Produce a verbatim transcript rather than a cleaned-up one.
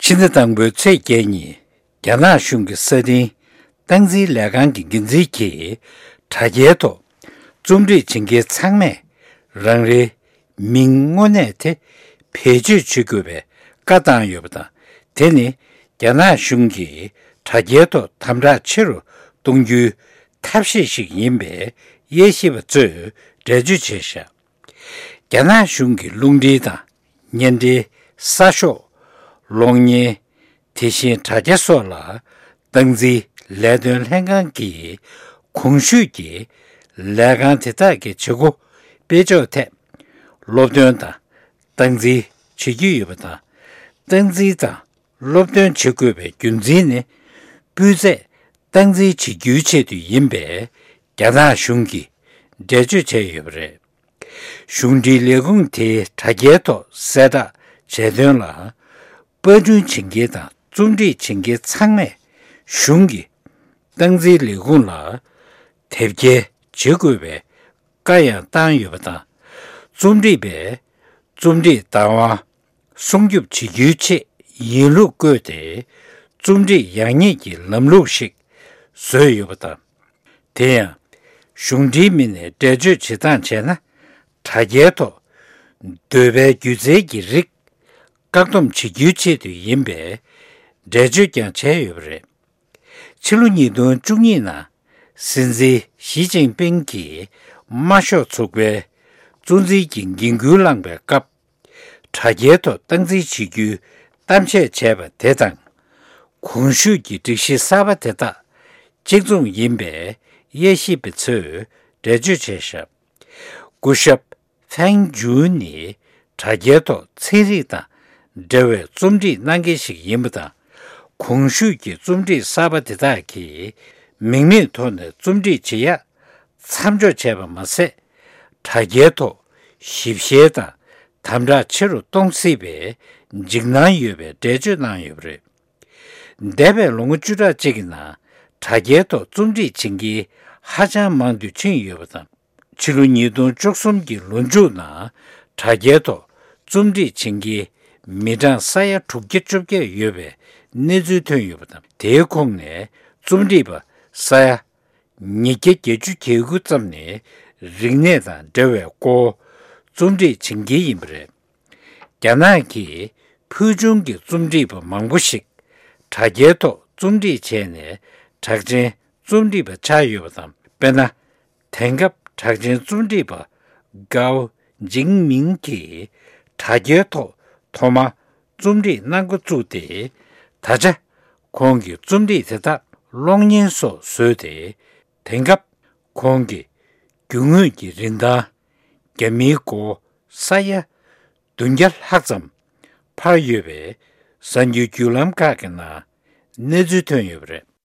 ཕྱི་ཟླ་དང་པོའི་ཚེས་བརྒྱད་ཉིན། རྒྱ་ནག་གཞུང་གི་ས་འཐེན་སྟངས་འཛིན་ལས་ཁང་གི་འགན་འཛིན་གྱིས་དྲ་རྒྱའི་ཐོག་རྩོམ་སྒྲིག་བྱེད་མཁན་ཚང་མས་རང་རེའི་མིང་དངོས་གནས་དེ་བེད་སྤྱོད་བྱེད་དགོས་པའི་བཀའ་བཏང་ཡོད་པ་དང་། དེ་ནི་རྒྱ་ནག་གཞུང་གིས་དྲ་རྒྱའི་ཐོག་དམ་དྲག་ཆེ་རུ་གཏོང་རྒྱུའི་ཐབས་ཤེས་ཤིག་ཡིན་པའི་དབྱེ་ཞིབ་པ་ཚོས་འགྲེལ་བརྗོད་བྱས་བཞག་རྒྱ་ནག་གཞུང་གི་རླུང་འཕྲིན་དང་བརྙན་འཕྲིན་གསར་ཤོག་གློག་བརྙན། དེ་བཞིན་དྲ་རྒྱ་སོགས་ལ་སྟངས་འཛིན་ལས་དོན་ལྷན་ཁང་གིས་གོང་ཞུས་ཀྱི་ལས་ཁང་དེ་དག་གི་བྱེད་སྒོ་སྤེལ་ཕྱོགས་ཐད་སློབ་སྟོན་དང་སྟངས་འཛིན་བྱེད་ཀྱི་ཡོད་པ་དང་། སྟངས་འཛིན་དང་སློབ་སྟོན་བྱེད་དགོས་པའི་རྒྱུ་མཚན་ནི། སྤུས་ཚད་སྟངས་འཛིན་བྱེད་རྒྱུའི་ཆེད་དུ་ཡིན་པའི་རྒྱ་ནག་གཞུང་གིས་འགྲེལ་བརྗོད་བྱས་ཡོད་པ་རེད། གཞུང་འབྲེལ་ལས་ཁུངས་དེའི་དྲ་རྒྱའི་ཐོག་གསལ་བསྒྲགས་བྱས་དོན་ལ། པར་སྐྲུན་བྱེད་མཁན་དང་རྩོམ་སྒྲིག་བྱེད་མཁན་ཚང་མས་གཞུང་གི་སྟངས་འཛིན་ལས་ཁུངས་ལ་དེབ་སྐྱེལ་བྱེད་དགོས་པའི་བཀའ་ཡང་བཏང་ཡོད་པ་དང་། རྩོམ་སྒྲིག་པས་རྩོམ་སྒྲིག་བདག་དབང་སྲུང་སྐྱོབ་བྱེད་རྒྱུའི་ཆེད་ཡིན་ལུགས་བཀོད་དེ། རྩོམ་སྒྲིག་ཡག་ཉེས་ཀྱི་ལམ་ལུགས་ཤིག་བཟོས་ཡོད་པ་དང་། དེ་ཡང་གཞུང་འབྲེལ་མི་སྣས་འགྲེལ་བརྗོད་བྱེད་སྟངས་བྱས་ན། དྲ་རྒྱའི་ཐོག་འདོད་པའི་སྒྱུ་རྩལ་གྱི་རིགས་བཀག་སྡོམ་བྱེད་རྒྱུའི་ཆེད་དུ་ཡིན་པའི་འགྲེལ་བརྗོད་ཀྱང་བྱས་ཡོད་པ་རེད། ཕྱི་ལོ་ཉིས་སྟོང་བཅུ་གཉིས་ནང་སྲིད་འཛིན་ཞི་ཅིན་ཕིང་གིས་དམར་ཤོག་ཚོགས་པའི་གཙོ་འཛིན་གྱི་འགན་འཁུར་བླངས་པའི་སྐབས། དྲ་རྒྱའི་ཐོག་སྟངས་འཛིན་བྱེད་རྒྱུའི་གཏམ་བཤད་བྱས་པ་དེ་དང་། གོང་ཞུས་ཀྱི་སྒྲིག་གཞི་གསར་པ་དེ་དག་གཅིག་མཚུངས་ཡིན་པའི་དབྱེ་ཞིབ་པ་ཚོས་འགྲེལ་བརྗོད་བྱས་བཞག་སྐུ་ཞབས་ཕེང་ཇུན་ནི་དྲ་རྒྱའི་ཐོག་ཚན་རིག་དང་འབྲེལ་བའི་རྩོམ་སྒྲིག་གནང་མཁན་ཞིག་ཡིན་པ་དང་། གོང་ཞུས་ཀྱི་རྩོམ་སྒྲིག་གསར་པ་དེ་དག་གིས་མིང་མེད་ཐོག་ནས་རྩོམ་སྒྲིག་བྱེད་ཡག་མཚམས་འཇོག་བྱས་པ་མ་ཟད། དྲ་རྒྱའི་ཐོག་ཞིབ་བཤེར་དང་དམ་དྲག་ཆེ་རུ་གཏོང་སྲིད་པའི་འཇིགས་སྣང་ཡོད་པའི་འགྲེལ་བརྗོད་གནང་ཡོད་པ་རེད། འདས་པའི་ལོ་ངོ་བཅུ་ཕྲག་གཅིག་གི་ནང་དྲ་རྒྱའི་ཐོག་རྩོམ་སྒྲིག་བྱེད་མཁན་ཧ་ཅང་མང་དུ་ཕྱིན་ཡོད་པ་དང་། ཕྱི་ལོ་ཉིས་སྟོང་བཅུ་གསུམ་གྱི་ལོ་མཇུག་ནང་དྲ་རྒྱའི་ཐོག་རྩོམ་སྒྲིག་བྱེད་མཁན་མི་གྲངས་ས་ཡ་དྲུག་བརྒྱ་བཅོ་བརྒྱད་ཡོད་པའི་གནས་ཚུལ་ཐོན་ཡོད་པ་དང་། དེའི་ཁོངས་ནས་རྩོམ་སྒྲིག་པ་ས་ཡ་ཉིས་བརྒྱ་བརྒྱད་ཅུ་གྱ་དགུ་ཙམ་ནས་རིག་གནས་དང་འབྲེལ་བའི་སྐོར་རྩོམ་སྒྲིག་བྱེད་མཁན་ཡིན་པ་རེད། རྒྱ་ནག་གི་ཕུལ་བྱུང་གི་རྩོམ་སྒྲིག་པ་མང་པོ་ཞིག་དྲ་རྒྱའི་ཐོག་རྩོམ་སྒྲིག་བྱས་ནས་གྲགས་ཅན་རྩོམ་སྒྲིག་པ་ཆགས་ཡོད་པ་དང་། དཔེར་ན། དེང་སྐབས་གྲགས་ཅན་རྩོམ་སྒྲིག་པ་ཀའོ་ཇིང་མིང་གིས་དྲ་རྒྱའི་ཐོག་ཐོག་མར་རྩོམ་སྒྲིག་གནང་འགོ་བཙུགས་ཏེ། ད་ཆ་ཁོང་གི་རྩོམ་སྒྲིག་དེ་དག་གློག་བརྙན་སོགས་བཟོས་ཏེ། དེང་སྐབས་ཁོང་གི་རྒྱུ་དངོས་ཀྱི་རིན་ཐང་རྒྱ་མིའི་སྒོར་ས་ཡ་བདུན་བརྒྱ་ལྷག་ཙམ་འཕར་ཡོད་པའི་གསར་འགྱུར་བརྒྱུད་ལམ་ཁག་གི་ནང་གནས་ཚུལ་ཐོན་ཡོད་པ་རེད།